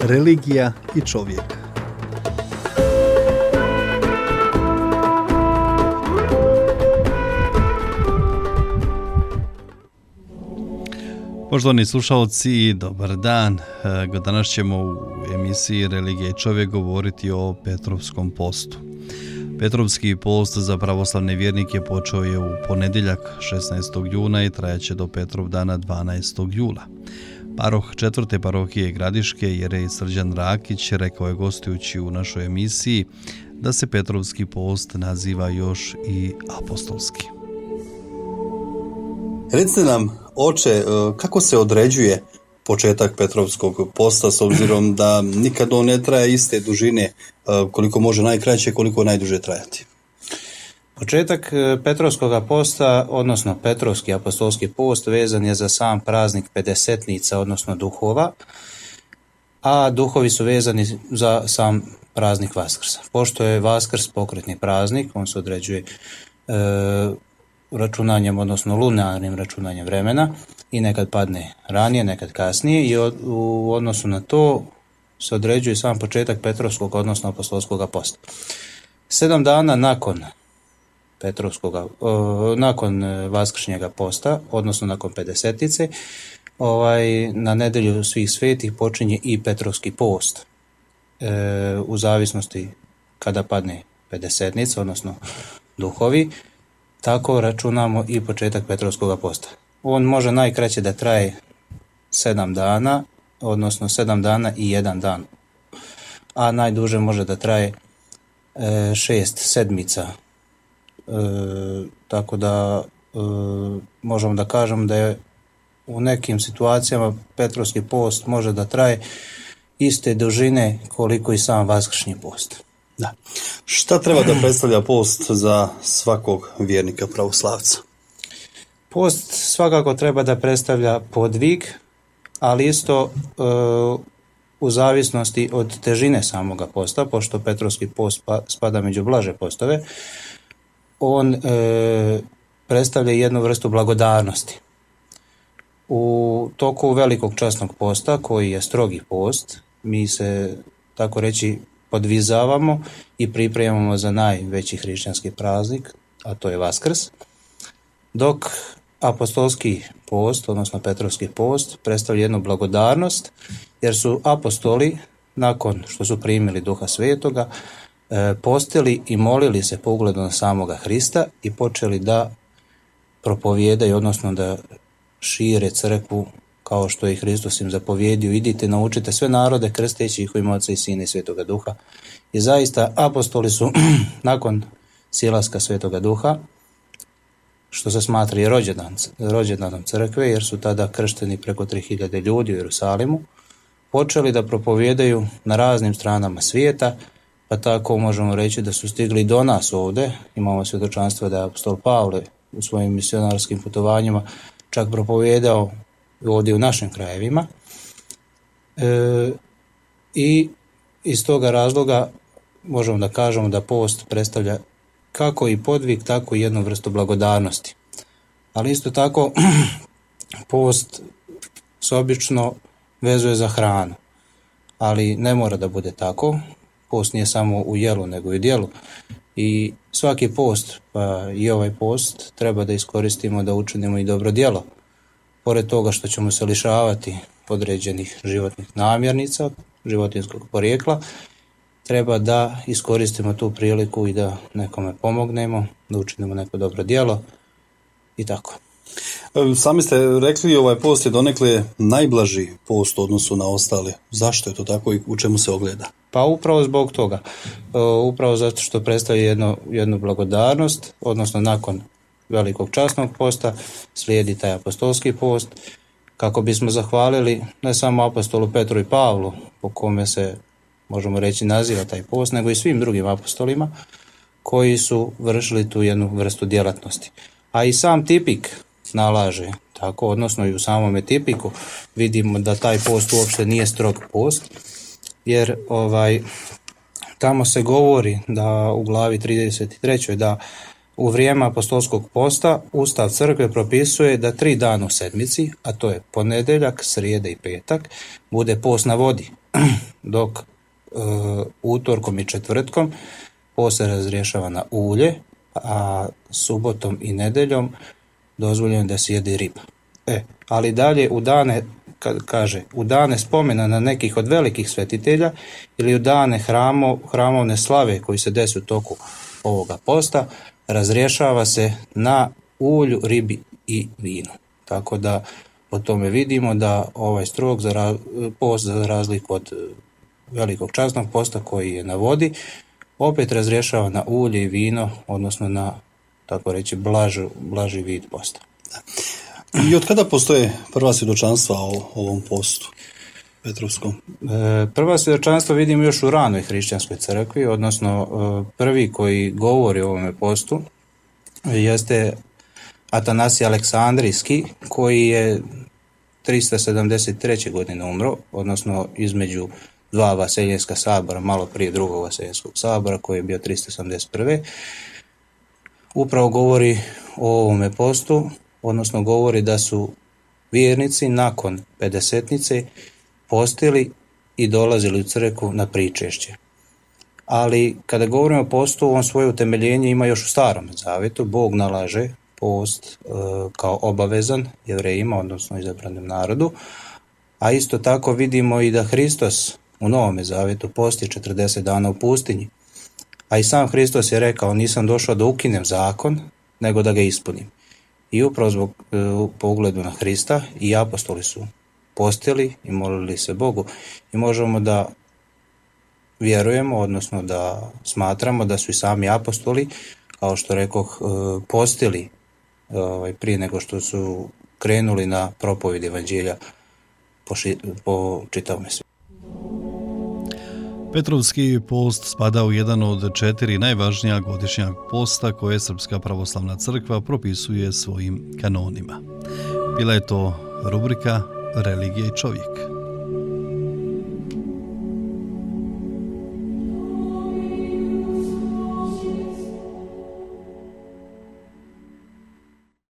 religija i čovjek. Poštovani slušalci, dobar dan. Danas ćemo u emisiji Religija i čovjek govoriti o Petrovskom postu. Petrovski post za pravoslavne vjernike počeo je u ponedjeljak 16. juna i trajaće do Petrovdana 12. jula. Paroh 4. parohije Gradiške, jerej Srđan Rakić, rekao je gostujući u našoj emisiji da se Petrovski post naziva još i apostolski. Recite nam, oče, kako se određuje početak Petrovskog posta s obzirom da nikad on ne traje iste dužine, koliko može najkraće, koliko najduže trajati? Početak Petrovskog posta, odnosno Petrovski apostolski post, vezan je za sam praznik Pedesetnica, odnosno duhova, a duhovi su vezani za sam praznik Vaskrsa. Pošto je Vaskrs pokretni praznik, on se određuje računanjem, odnosno lunarnim računanjem vremena i nekad padne ranije, nekad kasnije i u odnosu na to se određuje sam početak Petrovskog, odnosno apostolskog posta. 7 dana nakon nakon Vaskršnjega posta, odnosno nakon Pedesetnice, na nedjelju svih svetih počinje i Petrovski post. U zavisnosti kada padne Pedesetnica, odnosno duhovi, tako računamo i početak Petrovskog posta. On može najkraće da traje 7 dana, odnosno 7 dana i 1 dan, a najduže može da traje 6 sedmica. Tako da možemo da kažem da je u nekim situacijama Petrovski post može da traje iste dužine koliko i sam Vaskršnji post. Da. Šta treba da predstavlja post za svakog vjernika pravoslavca? Post svakako treba da predstavlja podvig, ali isto u zavisnosti od težine samoga posta, pošto Petrovski post spada među blaže postove, on predstavlja jednu vrstu blagodarnosti. U toku velikog časnog posta, koji je strogi post, mi se, tako reći, podvizavamo i pripremamo za najveći hrišćanski praznik, a to je Vaskrs, dok apostolski post, odnosno Petrovski post, predstavlja jednu blagodarnost, jer su apostoli, nakon što su primili Duha Svetoga, postili i molili se po ugledu na samoga Hrista i počeli da propovijedaju, odnosno da šire crkvu kao što je Hristos im zapovjedio: idite, naučite sve narode, krsteći ih u ime Oca i Sina i Svetoga Duha. I zaista apostoli su nakon silaska Svetoga Duha, što se smatra i rođendanom crkve, jer su tada kršteni preko 3000 ljudi u Jerusalimu, počeli da propovijedaju na raznim stranama svijeta, pa tako možemo reći da su stigli do nas ovdje. Imamo svjedočanstvo da je apostol Pavle u svojim misionarskim putovanjima čak propovijedao ovdje u našim krajevima. I iz toga razloga možemo da kažemo da post predstavlja kako i podvig, tako i jednu vrstu blagodarnosti. Ali isto tako post se obično vezuje za hranu, ali ne mora da bude tako. Post nije samo u jelu, nego i u djelu. I svaki post, pa i ovaj post, treba da iskoristimo da učinimo i dobro djelo. Pored toga što ćemo se lišavati određenih životnih namirnica, životinjskog porijekla, treba da iskoristimo tu priliku i da nekome pomognemo, da učinimo neko dobro djelo i tako. Sami ste rekli, ovaj post je donekle najblaži post u odnosu na ostale. Zašto je to tako i u čemu se ogleda? Pa upravo zbog toga. Upravo zato što predstavlja jednu blagodarnost, odnosno nakon velikog časnog posta slijedi taj apostolski post, kako bismo zahvalili ne samo apostolu Petru i Pavlu, po kome se, možemo reći, naziva taj post, nego i svim drugim apostolima koji su vršili tu jednu vrstu djelatnosti. A i sam tipik nalaže tako, odnosno i u samome tipiku vidimo da taj post uopšte nije strog post, jer tamo se govori da u glavi 33. da u vrijeme apostolskog posta Ustav crkve propisuje da 3 dana u sedmici, a to je ponedjeljak, srijeda i petak, bude post na vodi. dok utorkom i četvrtkom post se razrješava na ulje, a subotom i nedeljom dozvoljeno da se jede riba. Ali dalje u dane, kad kaže, u dane spomena na nekih od velikih svetitelja ili u dane hramovne slave koji se desi u toku ovoga posta, razrješava se na ulju, ribi i vinu. Tako da po tome vidimo da ovaj strog post, za razliku od velikog časnog posta koji je na vodi, opet razrješava na ulje i vino, odnosno na, tako reći, blaži vid posta. I od kada postoje prva svjedočanstva o ovom postu Petrovskom? Prva svjedočanstva vidimo još u ranoj hrišćanskoj crkvi, odnosno prvi koji govori o ovome postu jeste Atanasij Aleksandrijski, koji je 373. godine umro, odnosno između dva Vaseljenska sabora, malo prije drugog Vaseljenskog sabora koji je bio 371. Upravo govori o ovome postu, odnosno govori da su vjernici nakon pedesetnice postili i dolazili u crkvu na pričešće. Ali kada govorimo o postu, on svoje utemeljenje ima još u Starom zavjetu. Bog nalaže post kao obavezan Jevrejima, odnosno izabranom narodu, a isto tako vidimo i da Hristos u Novome zavjetu posti 40 dana u pustinji. A i sam Hristos je rekao, nisam došao da ukinem zakon, nego da ga ispunim. I upravo zbog pogledu na Hrista i apostoli su postili i molili se Bogu. I možemo da vjerujemo, odnosno da smatramo da su i sami apostoli, kao što rekoh, postili prije nego što su krenuli na propovjed evanđelja po čitavome svijetu. Petrovski post spada u jedan od 4 najvažnija godišnja posta koje Srpska pravoslavna crkva propisuje svojim kanonima. Bila je to rubrika Religija i čovjek.